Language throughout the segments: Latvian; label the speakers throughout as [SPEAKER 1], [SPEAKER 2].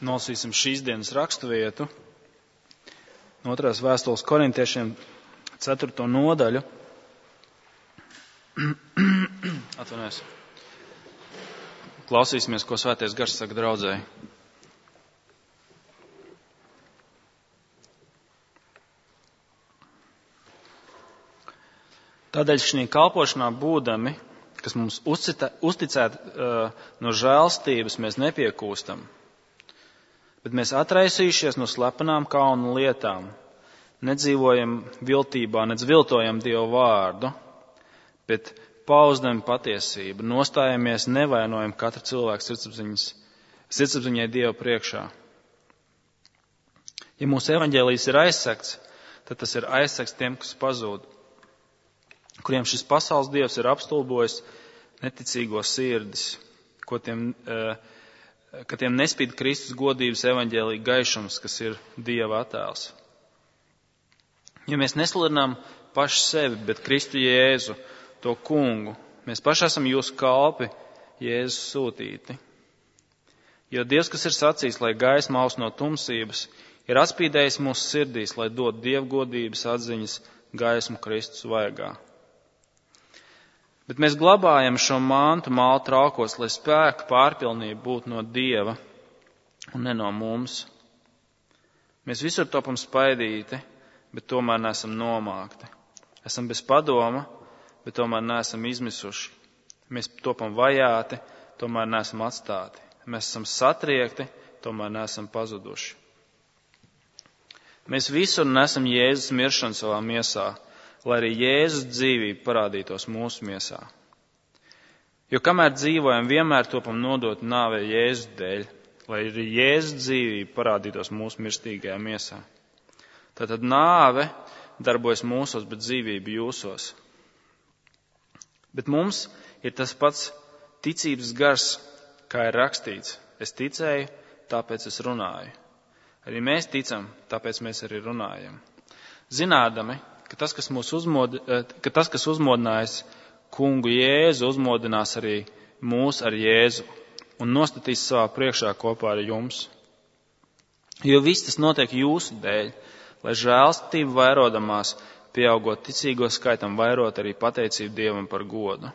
[SPEAKER 1] Nolasīsim šīs dienas raksturvietu. No 2. vēstules korintiešiem 4. nodaļu. Atvainojos. Klausīsimies, ko Svētais Gars saka draudzēji. Tādēļ šī kalpošanā būdami, kas mums uzticēta no žēlstības, mēs nepiekūstam, bet mēs atraisījušies no slepenām kaunu lietām, nedzīvojam viltībā, nedz viltojam Dievu vārdu, bet pauzdam patiesību, nostājamies, nevainojam katru cilvēku sirdsapziņai Dievu priekšā. Ja mūsu evaņģēlijs ir aizsegts, tad tas ir aizsegts tiem, kas pazūd, kuriem šis pasaules dievs ir apstulbojis neticīgo sirdis, ka tiem nespīd Kristus godības evaņģēlija gaišums, kas ir Dieva attēls. Ja mēs nesludinām paši sevi, bet Kristu Jēzu, to kungu, mēs paši esam jūsu kalpi, Jēzus sūtīti. Jo Dievs, kas ir sacījis, lai gaisma aust no tumsības, ir atspīdējis mūsu sirdīs, lai dod dievgodības atziņas gaismu Kristus vaigā. Bet mēs glabājam šo mantu mālu traukos, lai spēka pārpilnība būtu no Dieva un ne no mums. Mēs visur topam spaidīti, bet tomēr neesam nomākti. Esam bez padoma, bet tomēr neesam izmisuši. Mēs topam vajāti, tomēr neesam atstāti. Mēs esam satriekti, tomēr neesam pazuduši. Mēs visur nesam Jēzus miršanu savā miesā, lai arī Jēzus dzīvība parādītos mūsu miesā. Jo kamēr dzīvojam, vienmēr topam nodot nāvē Jēzus dēļ, lai arī Jēzus dzīvība parādītos mūsu mirstīgajā miesā. Tātad nāve darbojas mūsos, bet dzīvība jūsos. Bet mums ir tas pats ticības gars, kā ir rakstīts. Es ticēju, tāpēc es runāju. Arī mēs ticam, tāpēc mēs arī runājam. Zinādami, ka tas, kas uzmodinājis kungu Jēzu, uzmodinās arī mūs ar Jēzu un nostatīs savā priekšā kopā ar jums. Jo viss tas notiek jūsu dēļ, lai žēlstība vairodamās, pieaugot ticīgo skaitam, vairot arī pateicību Dievam par godu.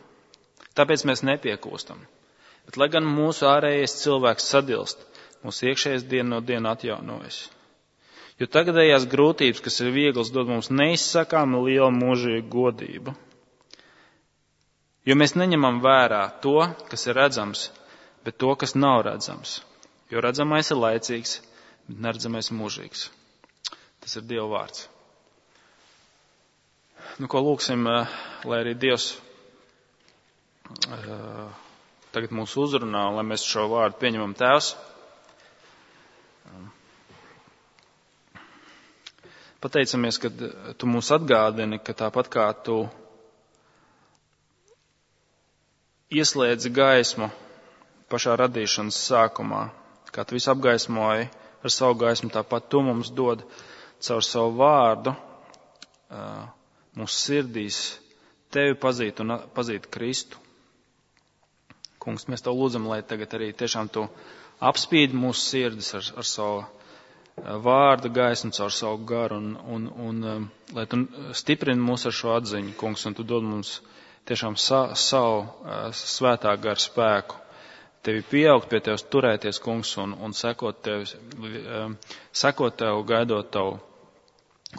[SPEAKER 1] Tāpēc mēs nepiekūstam. Bet, lai gan mūsu ārējais cilvēks sadilst, mūsu iekšējais diena no diena atjaunojas. Jo tagadējās grūtības, kas ir vieglas, dod mums neizsakāmu lielu mūžīgu godību. Jo mēs neņemam vērā to, kas ir redzams, bet to, kas nav redzams. Jo redzamais ir laicīgs, bet neredzamais mūžīgs. Tas ir Dieva vārds. Ko lūksim, lai arī Dievs tagad mūs uzrunā, un lai mēs šo vārdu pieņemam. Tēvs, pateicamies, ka tu mūs atgādini, ka tāpat kā tu ieslēdzi gaismu pašā radīšanas sākumā, kā tu visu apgaismoji ar savu gaismu, tāpat tu mums dod caur savu vārdu mūsu sirdīs tevi pazīt un pazīt Kristu. Kungs, mēs tev lūdzam, lai tagad arī tiešām tu apspīdi mūsu sirdis ar savu vārda gaismu, caur savu garu un lai tu stiprini mūs ar šo atziņu, kungs, un tu dod mums tiešām savu svētā gara spēku. Tevi pieaugt, pie tevis turēties, kungs, un sekot tev, gaidot tavu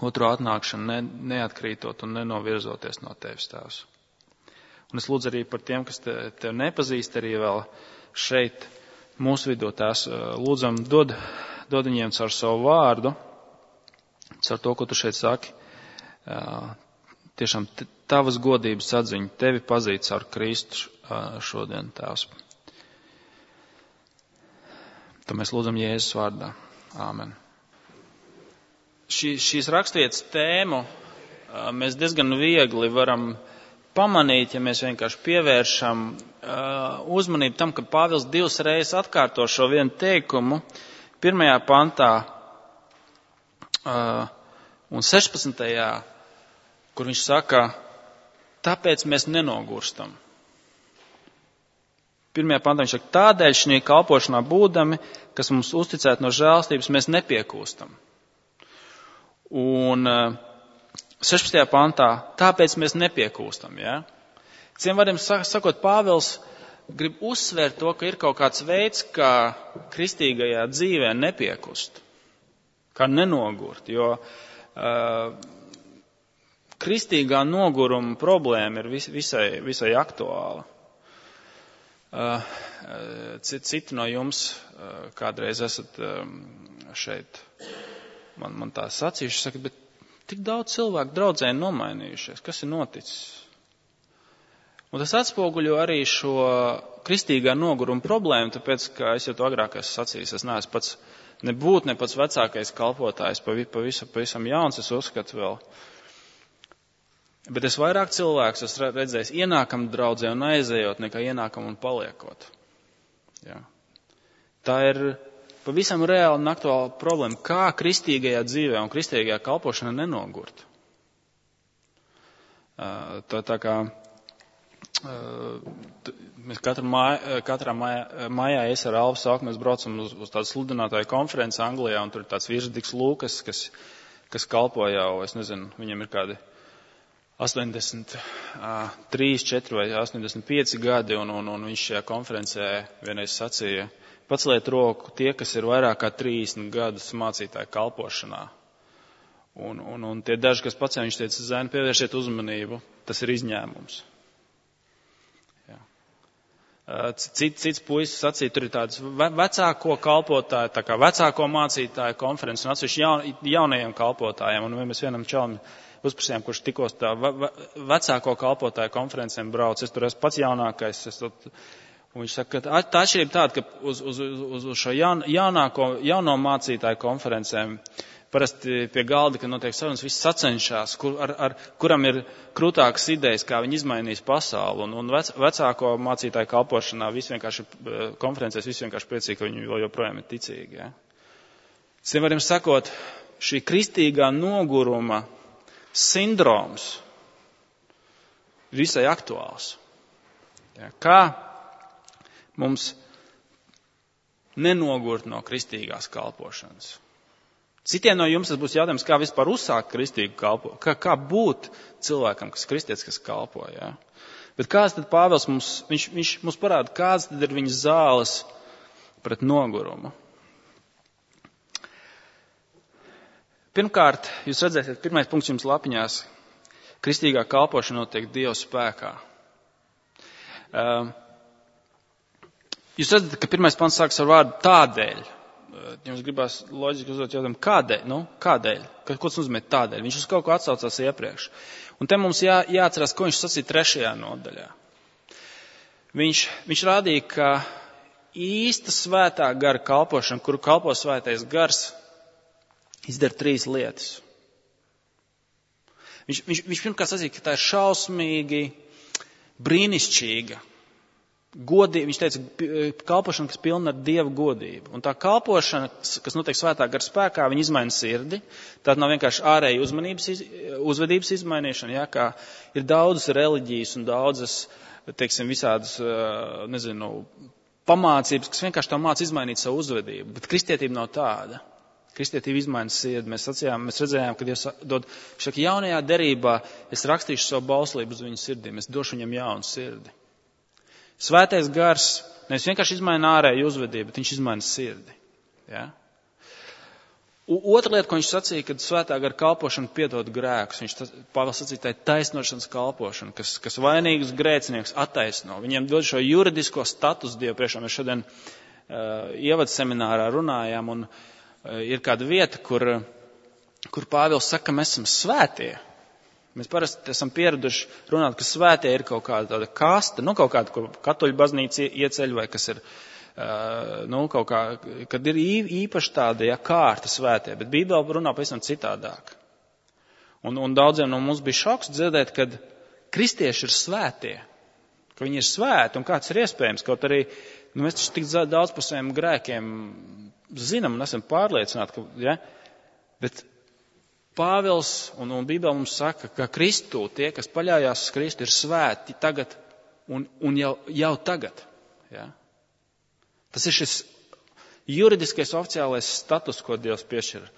[SPEAKER 1] otru atnākšanu, neatkrītot un nenovirzoties no tevis, Tēvs. Un es lūdzu arī par tiem, kas tev nepazīst, arī vēl šeit mūsu vidū, Tēvs, lūdzam, dod viņiem caur savu vārdu, caur to, ko tu šeit saki, tiešām tavas godības atziņu, tevi pazīt caur Kristu šodien, Tēvs. To mēs lūdzam Jēzus vārdā. Āmen. Šīs raksturvietas tēmu mēs diezgan viegli varam pamanīt, ja mēs vienkārši pievēršam uzmanību tam, ka Pāvils 2 reizes atkārto šo vienu teikumu 1. pantā un 16. kur viņš saka, tāpēc mēs nenogurstam. pirmajā pantā viņš saka, tādēļ šī kalpošanā būdami, kas mums uzticēt no žēlstības, mēs nepiekūstam. Un 16. pantā, tāpēc mēs nepiekūstam. Ja? Ciem vārdiem sakot, Pāvils grib uzsvērt to, ka ir kaut kāds veids, kā kristīgajā dzīvē nepiekust, kā nenogurt, jo kristīgā noguruma problēma ir visai aktuāla. Citi no jums kādreiz esat šeit, man tā sacījuši, saka, bet tik daudz cilvēku draudzē nomainījušies, kas ir noticis? Un tas atspoguļo arī šo kristīgā noguruma problēmu, tāpēc, ka es jau to agrāk esmu sacījis, es neesmu pats nebūt ne pats vecākais kalpotājs, pavisam jauns, es uzskatu vēl. Bet es vairāk cilvēkus esmu redzējis ienākam draudzē un aizējot, nekā ienākam un paliekot. Jā. Tā ir pavisam reāla un aktuāla problēma, kā kristīgajā dzīvē un kristīgajā kalpošanā nenogurt. Tā kā mēs katrā mājā es ar Alvu Sauku, mēs braucam uz tādu sludinātāju konferenci Anglijā, un tur ir tāds vīrs Diks Lūkas, kas kalpo jau, es nezinu, viņam ir kādi 83, 4 vai 85 gadi, un viņš šajā konferencē vienreiz sacīja, paceliet roku tie, kas ir vairāk kā 30 gadus mācītāju kalpošanā. Un tie daži, kas pacēla, viņš teica, zēni, pievēršiet uzmanību, tas ir izņēmums. Jā. Cits puisis sacīja, tur ir tāds vecāko kalpotāju, tā kā vecāko mācītāju konferences, un atsevišķi jaunajiem kalpotājiem, un mēs vienam čalam uzprasījām, kurš tikos tā vecāko kalpotāju konferencēm brauc. Es tur esmu pats jaunākais. Un viņš saka, ka tā atšķirība tāda, ka uz šo jauno mācītāju konferencēm parasti pie galda, kad notiek sarunas, viss sacenšās, kuram ir krūtākas idejas, kā viņi izmainīs pasauli. Un vecāko mācītāju kalpošanā konferencēs visi vienkārši priecīgi, ka viņi joprojām ir ticīgi. Ja? Citiem vārdiem sakot, šī kristīgā noguruma sindroms visai aktuāls. Ja, kā mums nenogurt no kristīgās kalpošanas? Citiem no jums tas būs jautājums, kā vispār uzsākt kristīgu kalpošanu, kā būt cilvēkam, kas kristietis, kas kalpo. Ja? Bet kāds tad Pāvils viņš mums parāda, kāds tad ir viņa zāles pret nogurumu? Pirmkārt, jūs redzēsiet, pirmais punkts jums lapiņās, kristīgā kalpošana notiek Dieva spēkā. Jūs redzat, ka pirmais pants sāks ar vārdu tādēļ. Jums gribās loģiski uzdot jautājumu, kādēļ? Kādēļ? Ko tas nozīmē tādēļ? Viņš uz kaut ko atsaucās iepriekš. Un te mums jāatcerās, ko viņš sacīja 3. nodaļā. Viņš rādīja, ka īsta svētā gara kalpošana, kuru kalpo svētais gars, izdara 3 lietas. Viņš pirmkārt sacīja, ka tā ir šausmīgi, brīnišķīga, godība. Viņš teica, kalpošana, kas pilna ar Dieva godību. Un tā kalpošana, kas notiek svētā gara spēkā, viņa izmaina sirdi. Tā nav vienkārši ārēja uzvedības izmainīšana, ja, kā ir daudzas reliģijas un daudzas, teiksim, visādas, pamācības, kas vienkārši tā māca izmainīt savu uzvedību. Bet kristietība nav tāda. Kristietība izmaina sirdi. Mēs redzējām, ka Dievs dod, šaka, jaunajā derībā es rakstīšu savu bauslību uz viņu sirdīm, es došu viņam jaunu sirdi. Svētais gars nevis vienkārši izmaina ārēju uzvedību, bet viņš izmaina sirdi. Ja? Otra lieta, ko viņš sacīja, kad svētā gara kalpošana piedod grēkus, Pāvils sacīja, tā ir taisnošanas kalpošana, kas vainīgus grēcinieks attaisno. Viņiem dod šo juridisko statusu Dievu priekšā. Mēs šodien ievads seminārā runājām, un ir kāda vieta, kur Pāvils saka, ka mēs esam svētie. Mēs parasti esam pieraduši runāt, ka svētie ir kaut kāda tāda kaste, kaut kāda, ko katoļu baznīca ieceļ, vai kas ir, kaut kā, kad ir īpaši tāda, kārta svētie, bet Bībele runā pavisam citādāk. Un daudziem no mums bija šoks dzirdēt, kad kristieši ir svētie, ka viņi ir svēti, un kāds ir iespējams, kaut arī, mēs taču tik daudz par saviem grēkiem zinām un esam pārliecināti, bet Pāvils un Bībele mums saka, ka Kristū tie, kas paļaujās uz Kristu, ir svēti tagad un jau tagad. Ja? Tas ir šis juridiskais oficiālais status, ko Dievs piešķir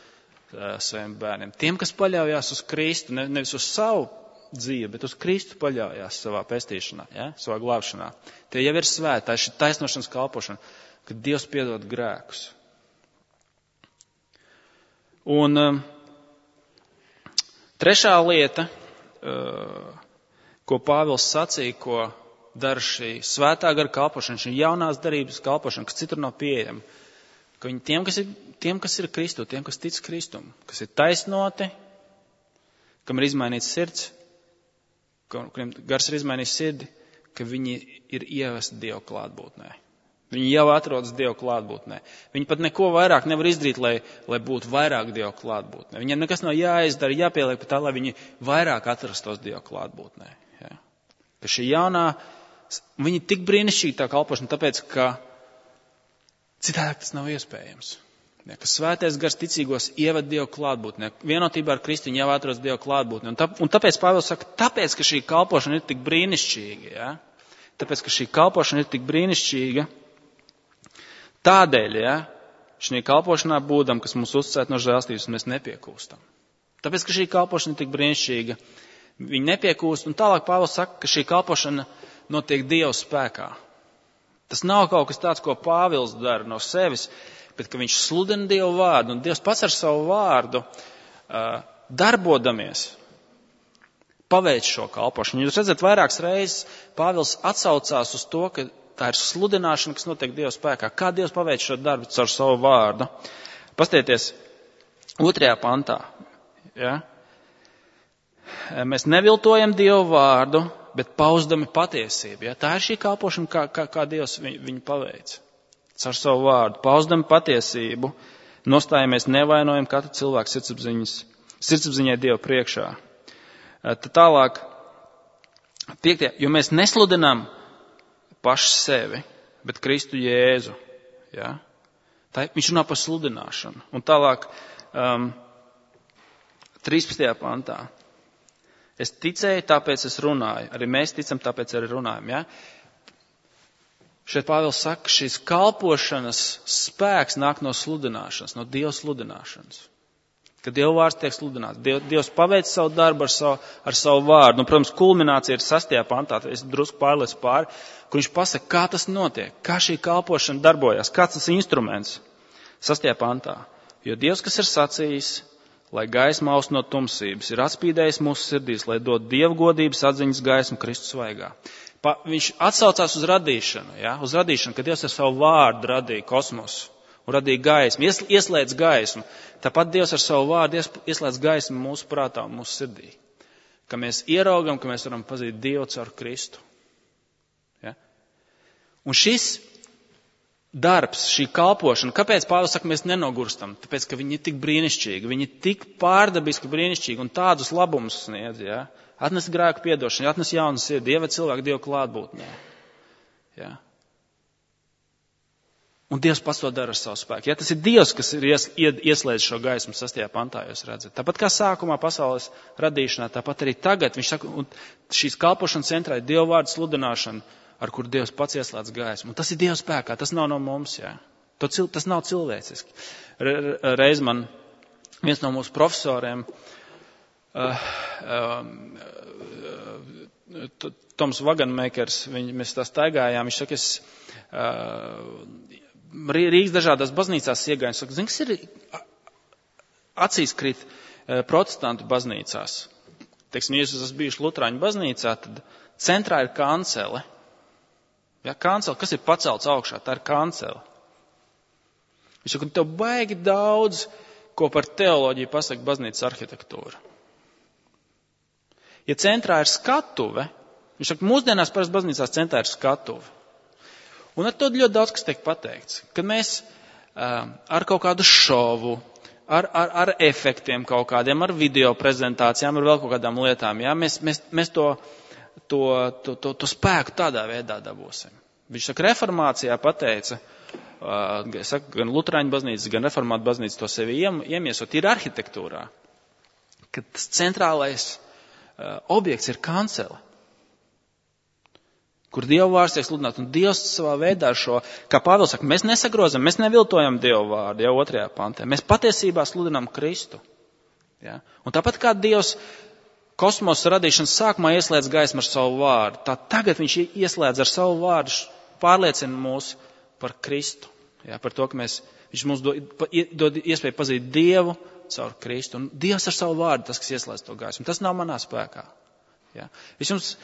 [SPEAKER 1] saviem bērniem. Tiem, kas paļaujās uz Kristu, nevis uz savu dzīvi, bet uz Kristu paļaujās savā pestīšanā, ja? Savā glābšanā. Tie jau ir svēti, tā ir šī taisnošanas kalpošana, kad Dievs piedod grēkus. Un trešā lieta, ko Pāvils sacīja, ko dara šī svētā gara kalpošana, šī jaunās darības kalpošana, kas citur nav pieejama, ka viņi tiem, kas ir Kristu, tiem, kas tic Kristum, kas ir taisnoti, kam ir izmainīts sirds, kuriem gars ir izmainījis sirdi, ka viņi ir ievesti Dieva klātbūtnē. Viņi jau atrodas Dieva klātbūtnē. Viņi pat neko vairāk nevar izdarīt, lai būtu vairāk Dieva klātbūtnē. Viņiem nekas nav jāizdara, jāpieliek pat tā, lai viņi vairāk atrastos Dieva klātbūtnē. Ja? Ka šī jaunā, viņi tik brīnišķīgi tā kalpošana, tāpēc, ka citādi tas nav iespējams. Ja, ka svētais gars ticīgos ieved Dieva klātbūtnē. Vienotībā ar Kristu viņi jau atrodas Dieva klātbūtnē. Un tāpēc Pāvils saka, tāpēc, ka šī kalpošana ir tik brīnišķīga, ja? Tāpēc, ka šī kalpošana ir tik brīnišķīga, tādēļ, ja, šī kalpošanā būdam, kas mums uzticēt no žēlstības, mēs nepiekūstam. Tāpēc, ka šī kalpošana ir tik brīnišķīga, viņi nepiekūst, un tālāk Pāvils saka, ka šī kalpošana notiek Dieva spēkā. Tas nav kaut kas tāds, ko Pāvils dara no sevis, bet ka viņš sludina Dievu vārdu, un Dievs pats ar savu vārdu darbodamies paveic šo kalpošanu. Jūs redzat, vairākas reizes Pāvils atsaucās uz to, ka tā ir sludināšana, kas notiek Dieva spēkā. Kā Dievs paveic šo darbu caur savu vārdu? Pastieties 2. pantā. Ja? Mēs neviltojam Dievu vārdu, bet pauzdami patiesību. Ja? Tā ir šī kalpošana, kā Dievs viņu paveic. Caur savu vārdu, pauzdami patiesību, nostājamies nevainojam katru cilvēku sirdsapziņai Dieva priekšā. Tad tālāk, 5. Jo mēs nesludinām paši sevi, bet Kristu Jēzu. Ja? Viņš runā par sludināšanu. Un tālāk, 13. pantā. Es ticēju, tāpēc es runāju. Arī mēs ticam, tāpēc arī runājam. Ja? Šeit Pāvils saka, ka šīs kalpošanas spēks nāk no sludināšanas, no Dieva sludināšanas. Kad Dieva vārds tiek sludināts. Dievs paveic savu darbu ar savu vārdu. Un, protams, kulminācija ir 6. pantā, es drusku pārlecu pāri, kur viņš pasaka, kā tas notiek, kā šī kalpošana darbojas, kāds tas instruments. 6. pantā. Jo Dievs, kas ir sacījis, lai gaisma aust no tumsības, ir atspīdējis mūsu sirdīs, lai dod Dieva godības atziņas gaismu Kristus svaigā. Viņš atsaucās uz radīšanu, ja? Uz radīšanu, kad Dievs ar savu vārdu radīja kosmosu un radīja gaismu, ieslēdz gaismu. Tāpat Dievs ar savu vārdu ieslēdz gaismu mūsu prātā un mūsu sirdī. Ka mēs ieraugam, ka mēs varam pazīt Dievu caur Kristu. Ja? Un šis darbs, šī kalpošana, kāpēc Pāvils saka, mēs nenogurstam? Tāpēc, ka viņi ir tik brīnišķīgi, viņi ir tik pārdabiski brīnišķīgi un tādus labumus sniedz, ja? Atnes grēku piedošanu, atnes jaunu sirdi, ieved cilvēku Dievu klātbūtnē. Ja? Un Dievs pats to dara ar savu spēku. Ja, tas ir Dievs, kas ir ieslēdz šo gaismu 6. pantā, jūs redzat. Tāpat kā sākumā pasaules radīšanā, tāpat arī tagad, viņš saka, un šīs kalpošanas centrā ir Dieva vārdu sludināšana, ar kur Dievs pats ieslēdz gaismu. Un tas ir Dieva spēkā, tas nav no mums, jā. Tas nav cilvēciski. Reiz man viens no mūsu profesoriem, Toms Vaganmakers, mēs tā staigājām, viņš saka, Rīgas dažādās baznīcās iegāju, saka, zini, kas ir acīs krīt protestantu baznīcās. Teiksim, ja jūs esat bijuši Lutrāņu baznīcā, tad centrā ir kancele. Ja, kancele, kas ir pacelts augšā, tā ir kancele. Viņš saka, tev baigi daudz, ko par teoloģiju pasaka baznīcas arhitektūra. Ja centrā ir skatuve, viņš saka, mūsdienās parasti baznīcās centrā ir skatuve. Un ar to ļoti daudz, kas tiek pateikts. Kad mēs ar kaut kādu šovu, ar efektiem kaut kādiem, ar video prezentācijām, ar vēl kaut kādām lietām, ja, mēs to spēku tādā veidā dabūsim. Viņš saka, reformācijā pateica, gan Lutrāņu baznīcas, gan reformātu baznīcas to sevi iemiesot, ir arhitektūrā, ka tas centrālais objekts ir kancele. kur Dieva vārds tiek sludināts. Un Dievs savā veidā šo, kā Pāvils saka, mēs nesagrozam, mēs neviltojam Dieva vārdu, jau 2. pantē. Mēs patiesībā sludinām Kristu. Ja? Un tāpat kā Dievs kosmosa radīšanas sākumā ieslēdz gaismu ar savu vārdu, tā tagad viņš ieslēdz ar savu vārdu, pārliecina mūs par Kristu. Ja? Par to, ka viņš mums dod iespēju pazīt Dievu caur Kristu. Un Dievs ar savu vārdu, tas, kas ieslēdz to gaismu. Tas nav manā spēkā. Ja? Es jums,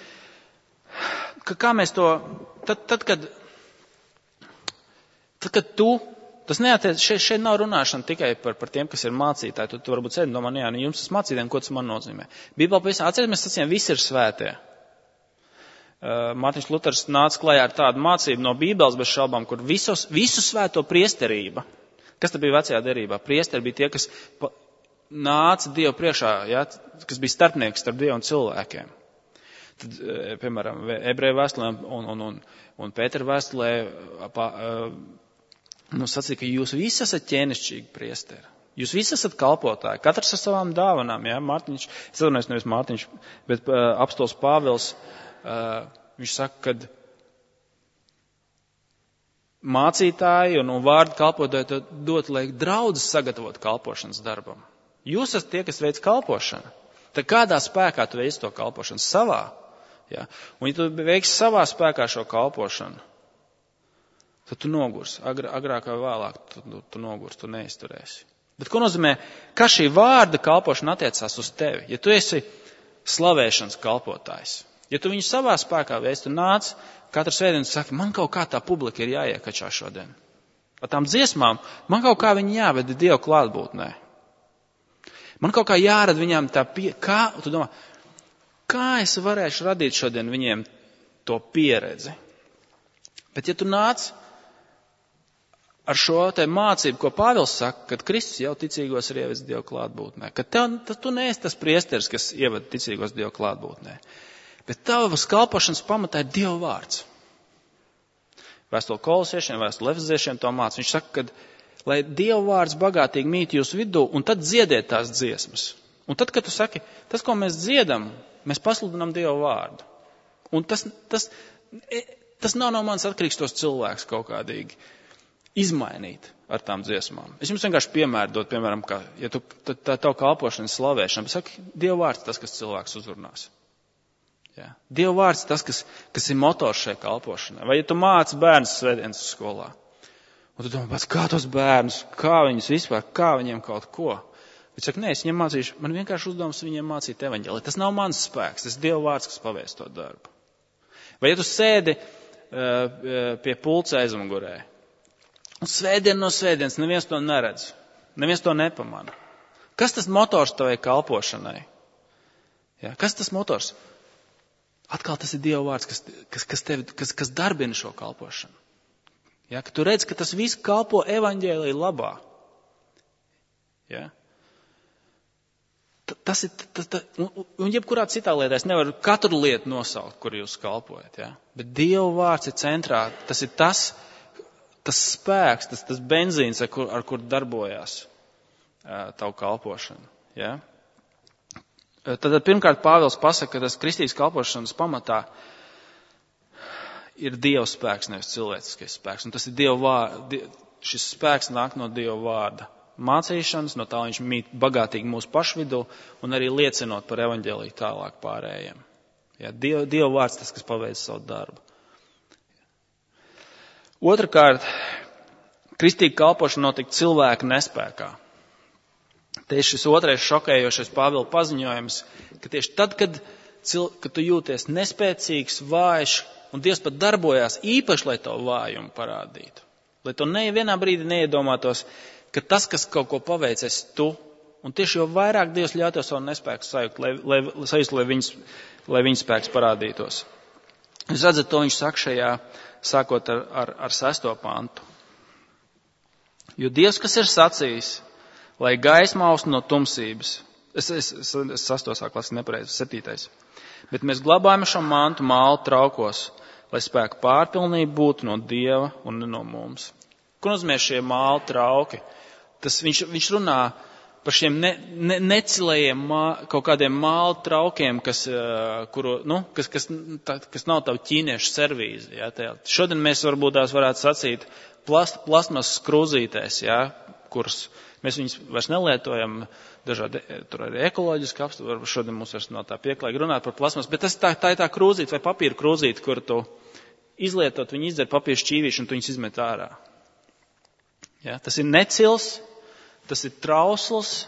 [SPEAKER 1] kā mēs to, tad kad tu, tas neatiec, šeit nav runāšana tikai par tiem, kas ir mācītāji. Tu varbūt sēdi domā, jā, jums tas mācītājiem, ko tas man nozīmē. Bībelē pavisam atcerieties, mēs sacījām, visi ir svētie. Mārtiņš Luters nāca klajā ar tādu mācību no Bībeles bez šaubām, kur visu svēto priesterība, kas tad bija vecajā derībā? Priesteri bija tie, kas nāca Dievu priekšā, ja, kas bija starpnieks starp Dievu un cilvēkiem. Tad, piemēram, Ebreju vēstulē un Pētera vēstulē sacīja, ka jūs visi esat ķēnišķīgi priesteri. Jūs visi esat kalpotāji, katrs ar savām dāvanām. Ja? Mārtiņš, es atvainojos, nevis Mārtiņš, bet apostols Pāvils, viņš saka, ka mācītāji un vārdu kalpotāji dot, lai draudzes sagatavot kalpošanas darbam. Jūs esat tie, kas veic kalpošanu. Tad kādā spēkā tu veic to kalpošanu? Savā. Ja? Un ja tu veiksi savā spēkā šo kalpošanu, tad tu nogurs. Agrāk vai vēlāk tu nogurs, tu neizturēsi. Bet ko nozīmē, kā šī vārda kalpošana attiecās uz tevi? Ja tu esi slavēšanas kalpotājs, ja tu viņu savā spēkā veic, tu nāc katru svētdienu un saki, man kaut kā tā publika ir jāiekačā šodien. Ar tām dziesmām, man kaut kā viņi jāved Dievu klātbūtnē. Man kaut kā jārada viņām tā tu domā, kā es varēšu radīt šodien viņiem to pieredzi? Bet ja tu nāc ar šo te mācību, ko Pāvils saka, kad Kristus jau ticīgos ir ievedis Dievu klātbūtnē, ka tu neesi tas priesteris, kas ieved ticīgos Dievu klātbūtnē, bet tavas kalpošanas pamatā ir Dieva vārds. Vēstule Kolosiešiem, vēstule Efeziešiem to māca. Viņš saka, ka lai Dieva vārds bagātīgi mīt jūsu vidū, un tad dziediet tās dziesmas. Un tad, kad tu saki, tas, ko mēs dziedam, mēs pasludinām Dieva vārdu. Un tas nav no manis atkarīgs tos cilvēkus kaut kādīgi izmainīt ar tām dziesmām. Es jums vienkārši piemēru dot, piemēram, ka, ja tā tavu kalpošana slavēšana, bet saki, Dieva vārds tas, kas cilvēks uzrunās. Ja? Dieva vārds tas, kas ir motors šai kalpošanai. Vai ja tu māci bērnus svētdienas skolā, un tu domā, kā tos bērnus, kā viņus vispār, kā viņiem kaut ko. Viņš saka, nē, es viņiem mācīšu, man vienkārši uzdevums viņiem mācīt evaņģēliju. Tas nav mans spēks, tas ir Dieva vārds, kas pavēst to darbu. Vai ja tu sēdi pie pulca aizmugurē, un svētdien no svētdienas neviens to neredz, neviens to nepamana. Kas tas motors tavai kalpošanai? Ja, kas tas motors? Atkal tas ir Dieva vārds, kas darbina šo kalpošanu. Ja, ka tu redz, ka tas viss kalpo evaņģēlija labā. Ja? Tas ir, un jebkurā citā lietā es nevaru katru lietu nosaukt, kur jūs kalpojat. Ja? Bet Dieva vārds ir centrā, tas ir tas spēks, tas benzīns, ar kur darbojās tavu kalpošanu. Ja? Tad pirmkārt Pāvils pasaka, ka tas kristīgas kalpošanas pamatā ir Dieva spēks, nevis cilvēciskais spēks. Un tas ir šis spēks nāk no Dieva vārda mācīšanas, no tā viņš mīt bagātīgi mūsu pašvidū un arī liecinot par evaņģēliju tālāk pārējiem. Ja, Dieva vārds tas, kas paveic savu darbu. Otrakārt, kristīga kalpošana notika cilvēka nespēkā. Te ir šis otrais šokējošais Pāvila paziņojums, ka tieši tad, kad tu jūties nespēcīgs, vājš, un Dievs pat darbojās īpaši, lai tavu vājumu parādītu. Lai to nevienā brīdī neiedomātos, ka tas, kas kaut ko paveic, esi tu. Un tieši jo vairāk Dievs ļauj tev savu nespēku sajust, lai viņa spēks parādītos. Jūs redzat, to viņš saka šajā, sākot ar 6. pantu. Jo Dievs, kas ir sacījis, lai gaisma austu no tumsības. Es 6. sāku lasīt nepareizi, 7. Bet mēs glabājam šo mantu mālu traukos, lai spēka pārpilnība būtu no Dieva un ne no mums. Ko nozīmē šie mālu trauki? Viņš runā par šiem necilējiem kaut kādiem māla traukiem, kas nav tavu ķīniešu servīzi. Ja, šodien mēs varbūt tās varētu sacīt plastmasas krūzītēs, ja, kuras mēs viņus vairs nelietojam, dažādi tur arī ekoloģiski apstākļi, šodien mums vairs nav tā pieklājīgi runāt par plastmasu, bet tā ir tā krūzīte vai papīra krūzīte, kur tu izlietot, viņi izdzer papīra šķīvīšu un tu viņus izmet ārā. Ja, tas ir necils, tas ir trausls,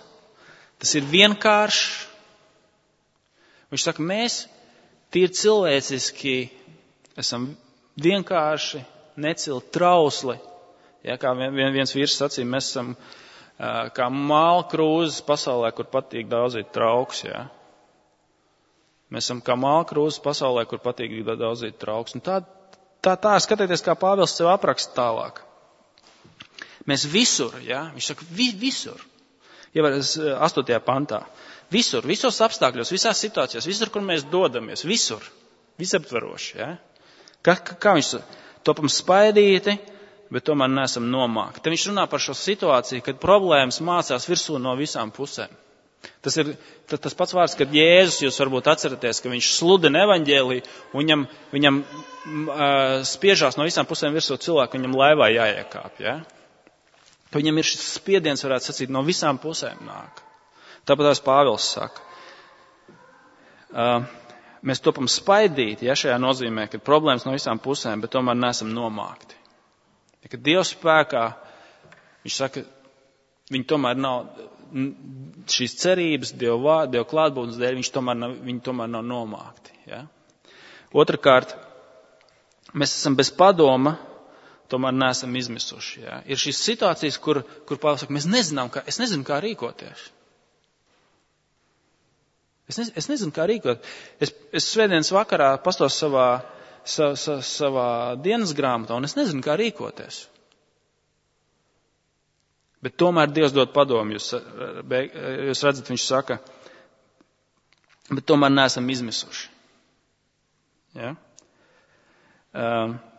[SPEAKER 1] tas ir vienkāršs. Viņš saka, mēs tīri cilvēciski esam vienkārši, necili, trausli. Ja, kā viens vīrs sacīja, mēs esam kā māla krūzes pasaulē, kur patīk daudzīt trauks. Ja. Mēs esam kā māla krūzes pasaulē, kur patīk daudzīt trauks. Un tā skatieties, kā Pāvils sev apraksta tālāk. Mēs visur, ja, viņš saka, visur, ievērs 8. pantā, visur, visos apstākļos, visās situācijās, visur, kur mēs dodamies, visur, visaptveroši, ja. Kā viņš topam spaidīti, bet tomēr neesam nomākti. Te viņš runā par šo situāciju, kad problēmas mācās virsū no visām pusēm. Tas ir tas pats vārds, kad Jēzus, jūs varbūt atceraties, ka viņš sludina evaņģēliju, un viņam spiežās no visām pusēm virsū cilvēku, viņam laivā jāiekāp, ja. Ka viņam ir šis spiediens, varētu sacīt, no visām pusēm nāk. Tāpat tās Pāvils saka. Mēs topam spaidīti, ja šajā nozīmē, ka problēmas no visām pusēm, bet tomēr neesam nomākti. Ja, kad Dievs spēkā, viņš saka, viņi tomēr nav, šīs cerības, Dieva klātbūtnes dēļ, viņi tomēr nav nomākti. Ja? Otrakārt, mēs esam bez padoma, tomēr neesam izmisuši. Ja? Ir šīs situācijas, kur Pāvils saka, es nezinu, kā rīkoties. Es nezinu, kā rīkot. Es svētdienas vakarā pastos savā dienas grāmatā, un es nezinu, kā rīkoties. Bet tomēr Dievs dod padomu. Jūs redzat, viņš saka, bet tomēr neesam izmisuši. Ja?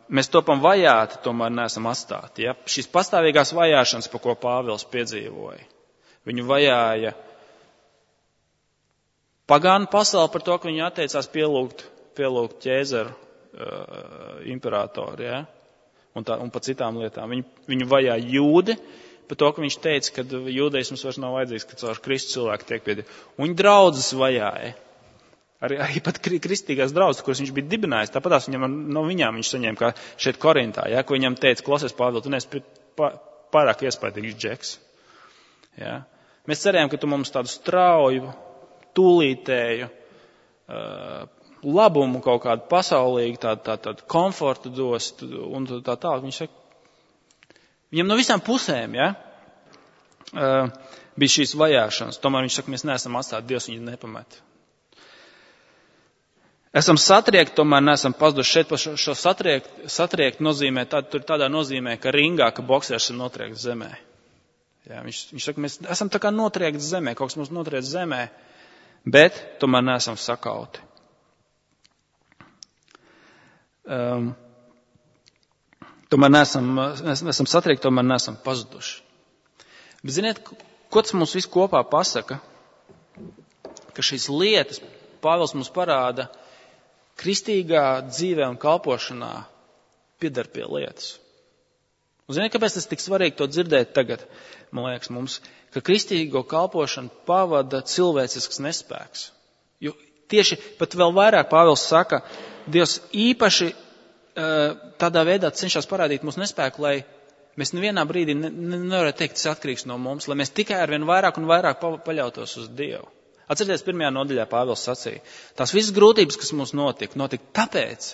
[SPEAKER 1] Mēs topam vajāti, tomēr neesam atstāti. Ja? Šīs pastāvīgās vajāšanas, pa ko Pāvils piedzīvoja, viņu vajāja pagānu pasauli par to, ka viņi atteicās pielūgt ķēzaru imperatoru, ja? un pa citām lietām. Viņu vajāja jūdi par to, ka viņš teica, ka jūdeisms vairs nav vajadzīgs, ka caur Kristu cilvēku tiek pie Dieva. Un viņa draudzes vajāja. Arī pat kristīgās draudzes, kuras viņš bija dibinājis, tāpatās no viņām viņš saņēma, kā šeit Korintā, ja, ko viņam teica, klausies, Pāvil, tu neesi pārāk iespaidīgs džeks. Ja. Mēs cerējām, ka tu mums tādu strauju, tūlītēju, labumu kaut kādu pasaulīgu, tādu komfortu dos, un tā tālāk. Viņš saka, viņam no visām pusēm, ja, bija šīs vajāšanas. Tomēr viņš saka, mēs neesam atstāti, Dievs viņu nepamet. Esam satriekti, tomēr neesam pazuduši. Šeit šo satriekt nozīmē, tādā nozīmē, ka ringā, ka boksers ir notriekts zemē. Ja, viņš saka, mēs esam tā kā notriekti zemē, kaut kas mums notriekts zemē, bet tomēr neesam sakauti. Tomēr neesam satriekti, tomēr neesam pazuduši. Bet ziniet, ko tas mums viss kopā pasaka? Ka šīs lietas Pāvils mums parāda, kristīgā dzīvē un kalpošanā piedar pie lietas. Un ziniet, kāpēc tas tik svarīgi to dzirdēt tagad, man liekas, mums, ka kristīgo kalpošanu pavada cilvēcisks nespēks. Jo tieši pat vēl vairāk Pāvils saka, Dievs īpaši tādā veidā cenšas parādīt mūsu nespēku, lai mēs nevienā brīdī nevarētu teikt, tas atkarīgs no mums, lai mēs tikai arvien vairāk un vairāk paļautos uz Dievu. Atcerieties, 1. nodaļā Pāvils sacīja, tās visas grūtības, kas mums notika tāpēc,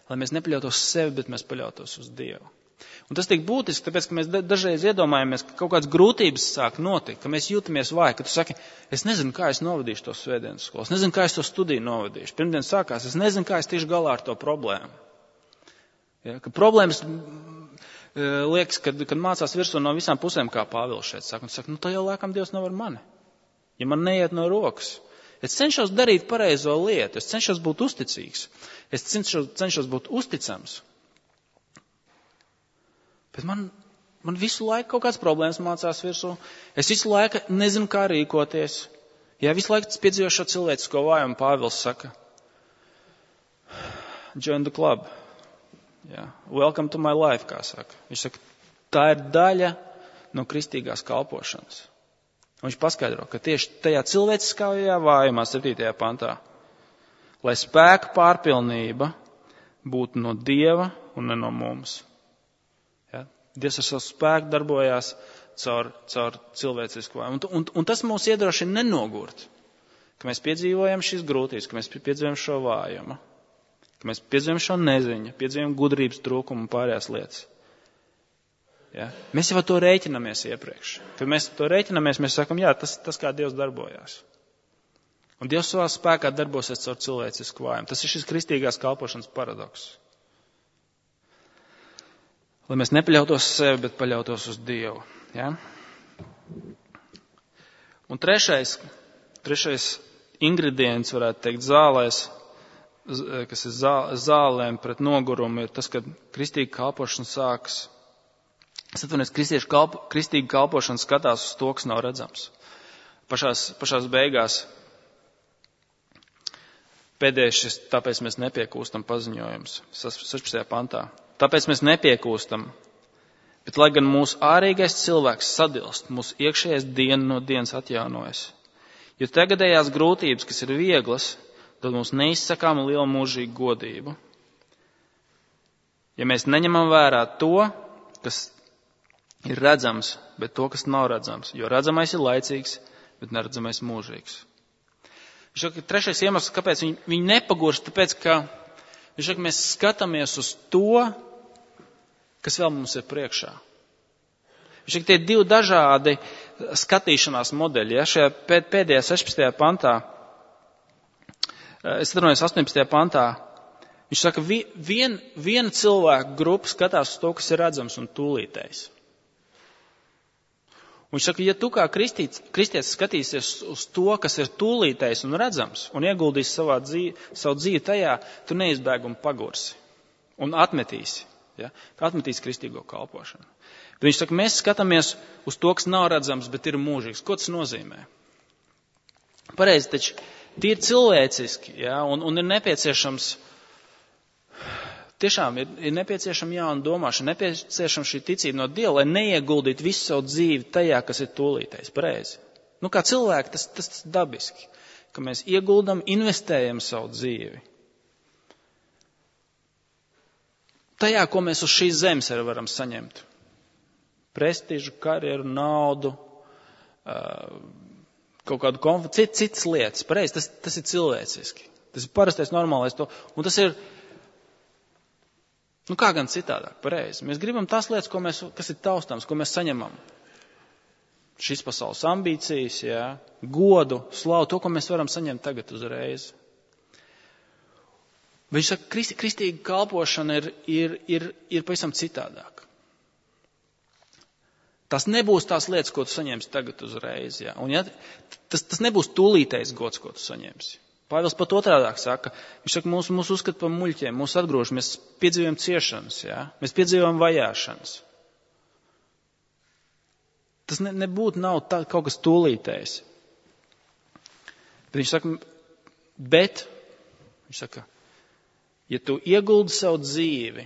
[SPEAKER 1] lai mēs nepaļautos uz sevi, bet mēs paļautos uz Dievu. Un tas tik būtiski, tāpēc, ka mēs dažreiz iedomājamies, ka kaut kādas grūtības sāk notikt, ka mēs jūtamies vāji, ka tu saki, es nezinu, kā es novadīšu to svētdienas skolu, es nezinu, kā es to studiju novadīšu. Pirmdien sākās, es nezinu, kā es tieši galā ar to problēmu. Ja, ka problēmas liekas, kad mācās virsū no visām pusēm, kā Pāvils šeit saka, un saka, tā jau laikam Dievs nav ar mani. Ja man neiet no rokas. Es cenšos darīt pareizo lietu, es cenšos būt uzticīgs, es cenšos būt uzticams. Bet man Man visu laiku kaut kāds problēmas mācās virsū. Es visu laiku nezinu, kā rīkoties. Jā, visu laiku piedzīvoju šo cilvēcisko vājumu, Pāvils saka. Join the club. Jā. Welcome to my life, kā saka. Viņš saka, tā ir daļa no kristīgās kalpošanas. Un viņš paskaidro, ka tieši tajā cilvēciskajā vājumā, 7. pantā, lai spēka pārpilnība būtu no Dieva un ne no mums. Ja? Dievs ar savu spēku darbojās caur cilvēcisku vājumu. Un tas mūs iedrošina nenogurt, ka mēs piedzīvojam šīs grūtības, ka mēs piedzīvojam šo vājumu, ka mēs piedzīvojam šo neziņu, piedzīvojam gudrības trūkumu un pārējās lietas. Ja? Mēs jau to rēķinamies iepriekš. Kad mēs to rēķinamies, mēs sakam, jā, tas kā Dievs darbojās. Un Dievs savā spēkā darbosies caur cilvēcisku vājumu. Tas ir šis kristīgās kalpošanas paradoks. Lai mēs nepaļautos uz sevi, bet paļautos uz Dievu. Ja? Un trešais ingredients, varētu teikt, zālēs, kas ir zālēm pret nogurumu, ir tas, ka kristīga kalpošana sākas. Es atvainojos, kristīga kalpošana skatās uz to, kas nav redzams. Pašās beigās pēdējais, tāpēc mēs nepiekūstam paziņojums, 16. pantā. Tāpēc mēs nepiekūstam, bet lai gan mūsu ārīgais cilvēks sadilst, mūsu iekšējais diena no dienas atjaunojas. Jo tagadējās grūtības, kas ir vieglas, dod mums neizsakāmu lielu mūžīgu godību. Ja mēs neņemam vērā to, kas ir redzams, bet to, kas nav redzams, jo redzamais ir laicīgs, bet neredzamais mūžīgs. Viņš saka, trešais iemesls, kāpēc viņi nepagurst, tāpēc, ka viņš saka, mēs skatāmies uz to, kas vēl mums ir priekšā. Viņš saka, tie ir divi dažādi skatīšanās modeļi. Ja? Šajā pēdējā 16. pantā, es atvainojos 18. pantā, viņš saka, viena cilvēka grupa skatās uz to, kas ir redzams un tūlītējs. Viņš saka, ja tu kā kristietis skatīsies uz to, kas ir tūlītējs un redzams, un ieguldīsi savu dzīvi tajā, tu neizbēgumi pagursi un atmetīsi. Ja? Atmetīsi kristīgo kalpošanu. Bet viņš saka, mēs skatāmies uz to, kas nav redzams, bet ir mūžīgs. Ko tas nozīmē? Pareizi, taču tie ir cilvēciski, ja? un ir nepieciešams, tiešām ir nepieciešama jauna domāšana, nepieciešama šī ticība no Dieva, lai neieguldītu visu savu dzīvi tajā, kas ir tūlītējs. Pareizi. Kā cilvēki, tas dabiski, ka mēs ieguldam, investējam savu dzīvi. Tajā, ko mēs uz šīs zemes arī varam saņemt. Prestižu, karjeru, naudu, kaut kādu komfortu, citas lietas. Pareizi, tas ir cilvēciski. Tas ir parastais, normālais to. Un tas ir, kā gan citādāk, pareizi. Mēs gribam tās lietas, kas ir taustāms, ko mēs saņemam. Šis pasaules ambīcijas, jā, godu, slavu, to, ko mēs varam saņemt tagad uzreiz. Viņš saka, kristīga kalpošana ir pavisam citādāk. Tas nebūs tās lietas, ko tu saņemsi tagad uzreiz. Ja? Un tas nebūs tūlītējs gods, ko tu saņemsi. Pāvils pat otrādāk saka, viņš saka, mūs uzskata par muļķiem, mūs atgrūž, mēs piedzīvojam ciešanas, ja? Mēs piedzīvojam vajāšanas. Tas nav kaut kas tūlītējs. Bet viņš saka, ja tu ieguldi savu dzīvi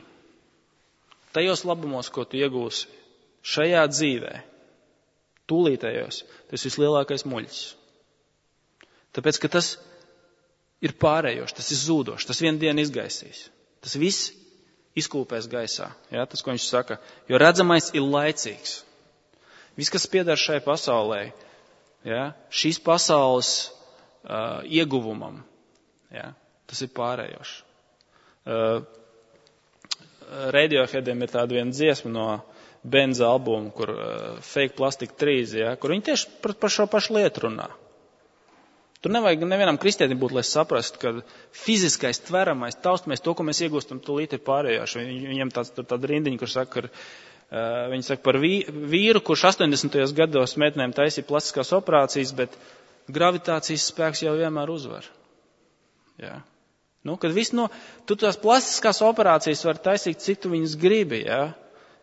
[SPEAKER 1] tajos labumos, ko tu iegūsi šajā dzīvē, tūlītējos, tas ir vislielākais muļķis. Tāpēc, ka tas ir pārējošs, tas ir zūdošs, tas vienu dienu izgaisīs. Tas viss izkūpēs gaisā. Ja, tas, ko viņš saka, jo redzamais ir laicīgs. Viss, kas pieder šai pasaulē, ja, šīs pasaules ieguvumam, ja, tas ir pārējošs. Radioheadiem ir tāda viena dziesma no Benza albuma, kur Fake Plastic Trees, ja, kur viņi tieši par šo pašu lietu runā. Tur nevajag nevienam kristietim būt, lai saprastu, ka fiziskais, tveramais, taustamais, to, ko mēs iegūstam, tūlīt ir pārējoši. Viņam tāda rindiņa, kur saka, viņi saka par vīru, kurš 80. gados meitenēm taisīja plastiskās operācijas, bet gravitācijas spēks jau vienmēr uzvar. Ja. Kad tu tās plastiskās operācijas var taisīt, cik tu viņas gribi, ja?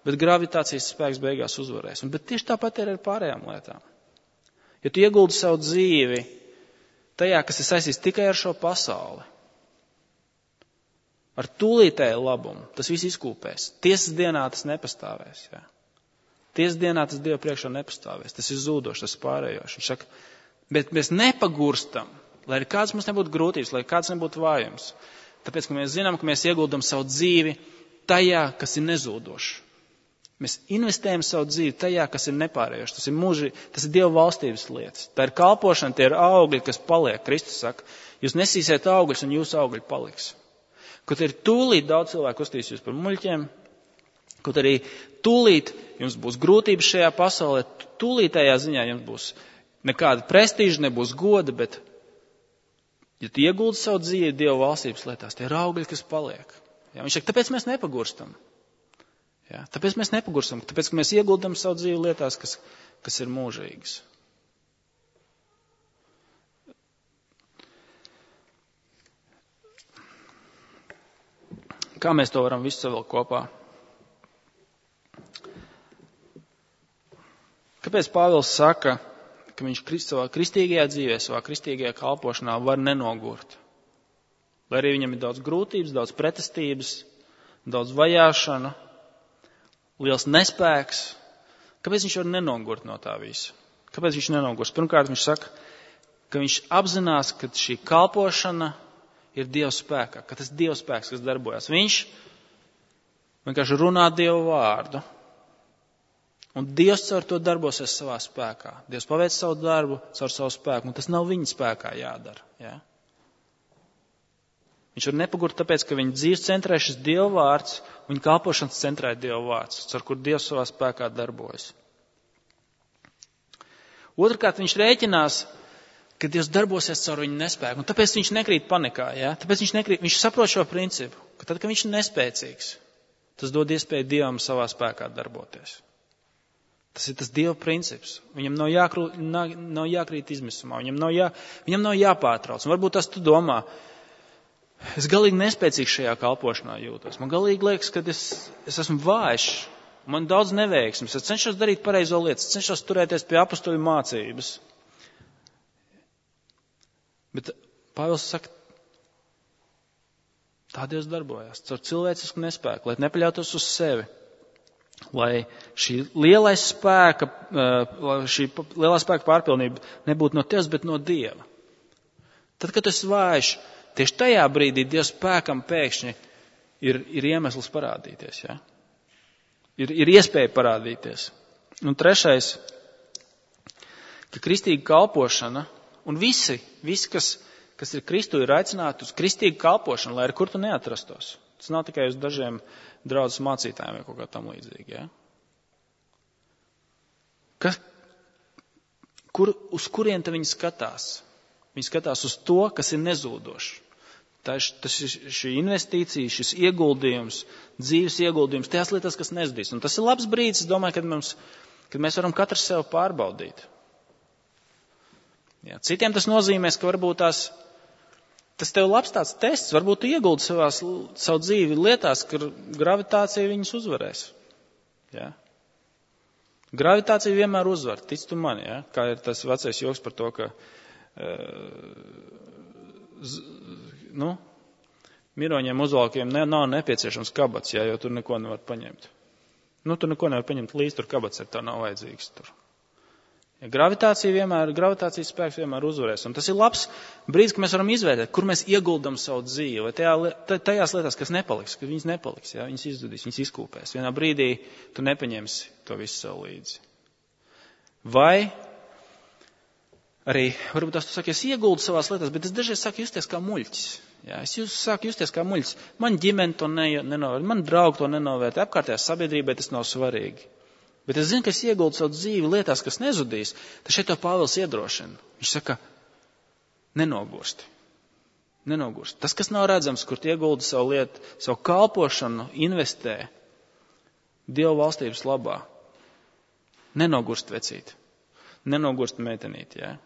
[SPEAKER 1] bet gravitācijas spēks beigās uzvarēs. Bet tieši tāpat ir ar pārējām lietām. Ja tu ieguldi savu dzīvi tajā, kas ir saistīts tikai ar šo pasauli, ar tūlītēju labumu, tas viss izkūpēs. Tiesas dienā tas nepastāvēs. Jā. Tiesas dienā tas Dieva priekšā nepastāvēs. Tas ir zūdošs, tas ir pārējošs. Viņš saka, bet mēs nepagurstam, lai arī kāds mums nebūtu grūtības, lai kāds nebūtu vājums. Tāpēc, ka mēs zinām, ka mēs ieguldam savu dzīvi tajā, kas ir nezūdošs. Mēs investējam savu dzīvi tajā, kas ir nepārējošs. Tas ir mūži, tas ir Dieva valstības lietas. Tā ir kalpošana, tie ir augļi, kas paliek. Kristus saka, jūs nesīsiet augļus un jūsu augļi paliks. Kaut arī tūlīt daudz cilvēku uzstīs jūs par muļķiem, kaut arī tūlīt jums būs grūtības šajā pasaulē, tūlītējā ziņā jums būs nekāda prestīža, nebūs goda, bet ja tu ieguldi savu dzīvi Dieva valstības lietās, tie ir augļi, kas paliek. Jā, viņš saka, tāpēc mēs nepagurstam. Jā, tāpēc mēs nepagurstam, tāpēc, ka mēs ieguldam savu dzīvi lietās, kas ir mūžīgas. Kā mēs to varam visu savilkt kopā? Kāpēc Pāvils saka, ka viņš savā kristīgajā dzīvē, savā kristīgajā kalpošanā var nenogurt? Lai arī viņam ir daudz grūtības, daudz pretestības, daudz vajāšana, liels nespēks. Kāpēc viņš var nenogurt no tā visa? Kāpēc viņš nenogurs? Pirmkārt, viņš saka, ka viņš apzinās, ka šī kalpošana ir Dieva spēkā, ka tas ir Dieva spēks, kas darbojas. Viņš vienkārši runā Dieva vārdu. Un Dievs caur to darbosies savā spēkā. Dievs paveic savu darbu caur savu spēku, un tas nav viņa spēkā jādara. Ja? Viņš var nepagurt tāpēc, ka viņa dzīves centrē šis Dieva vārds, un viņa kalpošanas centrē Dieva vārds, caur kur Dievs savā spēkā darbojas. Otrkārt, viņš rēķinās, ka Dievs darbosies caur viņa nespēku, un tāpēc viņš nekrīt panikā. Ja? Tāpēc viņš saprot šo principu, ka tad, kad viņš ir nespēcīgs, tas dod iespēju Dievam savā spēkā darboties. Tas ir tas Dieva princips. Viņam nav jākrīt izmisumā, viņam nav jāpārtrauc. Un varbūt tas tu domā, es galīgi nespēcīgs šajā kalpošanā jūtos. Man galīgi liekas, ka es esmu vājš, man daudz neveiksmes, es cenšos darīt pareizo lietu, es cenšos turēties pie apostoļu mācības. Bet Pāvils saka, tā Dievs darbojas, caur cilvēcisku nespēku, lai nepaļautos uz sevi. Lai šī lielā spēka pārpilnība nebūtu no tevis, bet no Dieva. Tad, kad tu esi vājš, tieši tajā brīdī Dieva spēkam pēkšņi ir iemesls parādīties. Ja? Ir iespēja parādīties. Un trešais, ka kristīga kalpošana, un visi kas ir Kristu, ir aicināti uz kristīgu kalpošanu, lai ar kur tu neatrastos. Tas nav tikai uz dažiem draudzes mācītājiem vai kaut kā tam līdzīgi. Ja? Uz kurien te viņi skatās? Viņi skatās uz to, kas ir nezūdošs. Tas ir šī investīcija, šis ieguldījums, dzīves ieguldījums, tajās lietās, kas nezudīs. Un tas ir labs brīdis, es domāju, kad mēs varam katrs sev pārbaudīt. Ja, citiem tas nozīmēs, ka varbūt tas tev labs tāds tests, varbūt tu ieguldi savu dzīvi lietās, ka gravitācija viņus uzvarēs. Ja? Gravitācija vienmēr uzvar, tic tu mani, ja? Kā ir tas vecais joks par to, ka miroņiem uzvalkiem nav nepieciešams kabats, ja, jo tur neko nevar paņemt. Tur neko nevar paņemt līdz, tur kabats ir, tā nav vajadzīgs tur. Ja gravitācijas spēks vienmēr uzvarēs. Un tas ir labs brīdis, ka mēs varam izvērtēt, kur mēs ieguldam savu dzīvi. Vai tajās lietās, kas nepaliks, ka viņas nepaliks, ja? Viņas izzudīs, viņas izkūpēs. Vienā brīdī tu nepaņemsi to visu sev līdzi. Vai arī, varbūt tu saki, es ieguldu savās lietās, bet es dažreiz sāku justies kā muļķis. Ja? Es sāku justies kā muļķis. Man ģimene to nenovērtē, man draugi to nenovērtē, apkārtējā sabiedrībai tas nav svarīgi. Bet es zinu, ka es ieguldu savu dzīvi lietās, kas nezudīs, tad šeit to Pāvils iedrošina. Viņš saka, nenogursti. Tas, kas nav redzams, kur ieguldi savu lietu, savu kalpošanu, investē Dieva valstības labā. Nenogurst vecīt. Nenogurst meitenīt, jā.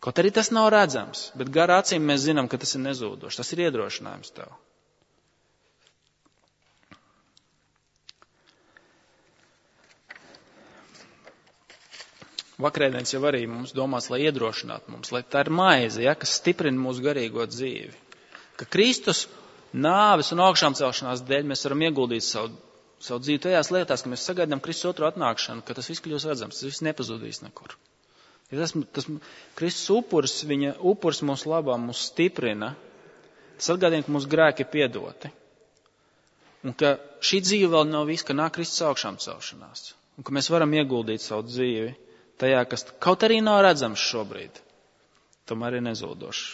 [SPEAKER 1] Kaut arī tas nav redzams, bet garā acīm mēs zinām, ka tas ir nezūdošs. Tas ir iedrošinājums tev. Vakarēdienas jau arī mums domās, lai iedrošinātu mums, lai tā ir maize, ja, kas stiprina mūsu garīgo dzīvi. Ka Kristus nāves un augšām celšanās dēļ mēs varam ieguldīt savu dzīvi tajās lietās, ka mēs sagaidām Kristus otru atnākšanu, ka tas viss kļūs redzams, tas viss nepazudīs nekur. Ja tas Kristus upuris, viņa upuris mūsu labā mūs stiprina, tas atgādina, ka mūsu grēki ir piedoti. Un ka šī dzīve vēl nav viss, ka nāk Kristus augšām celšanās. Un ka mēs varam ieguldīt savu dzīvi tajā, kas kaut arī nav redzams šobrīd, tomēr ir nezūdošs.